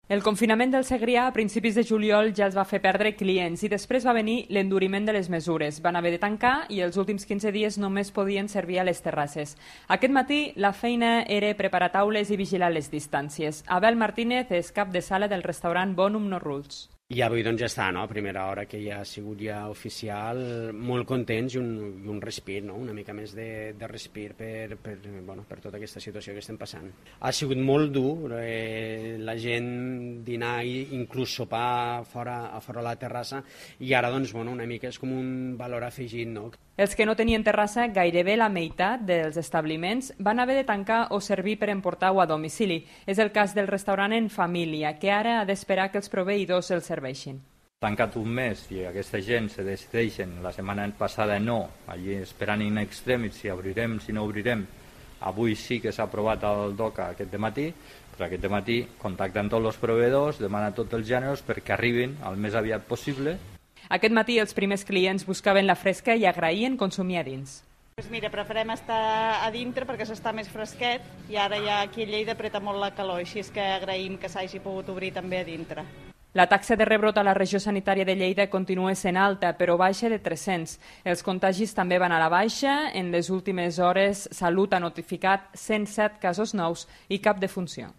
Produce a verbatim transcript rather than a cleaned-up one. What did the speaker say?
El confinament del Segrià a principis de juliol ja els va fer perdre clients i després va venir l'enduriment de les mesures. Van haver de tancar i els últims quinze dies només podien servir a les terrasses. Aquest matí la feina era preparar taules i vigilar les distàncies. Abel Martínez és cap de sala del restaurant Bonum No Rules. I avui doncs ja està, no? A primera hora que ja ha sigut ja oficial, molt contents i un, i un respir, no? Una mica més de, de respir per, per, bueno, per tota aquesta situació que estem passant. Ha sigut molt dur, eh, la gent dinar i inclús sopar fora, a fora la terrassa, i ara doncs, bueno, una mica és com un valor afegit, no? Els que no tenien terrassa, gairebé la meitat dels establiments van haver de tancar o servir per emportar-ho a domicili. És el cas del restaurant En Família, que ara ha d'esperar que els proveïdors el serveixin. Tancat un mes i aquesta gent se decideixen, la setmana passada no, allí esperant in extremis si obrirem, si no obrirem. Avui sí que s'ha aprovat el DOCA aquest dematí, però aquest dematí contacten tots els proveïdors, demanen tots els gèneres perquè arribin el més aviat possible. Aquest matí els primers clients buscaven la fresca i agraïen consumir a dins. Pues mira, preferem estar a dintre perquè s'està més fresquet i ara ja aquí a Lleida apreta molt la calor, així és que agraïm que s'hagi pogut obrir també a dintre. La taxa de rebrot a la regió sanitària de Lleida continua sent alta, però baixa de tres-cents. Els contagis també van a la baixa. En les últimes hores, Salut ha notificat cent set casos nous i cap defunció.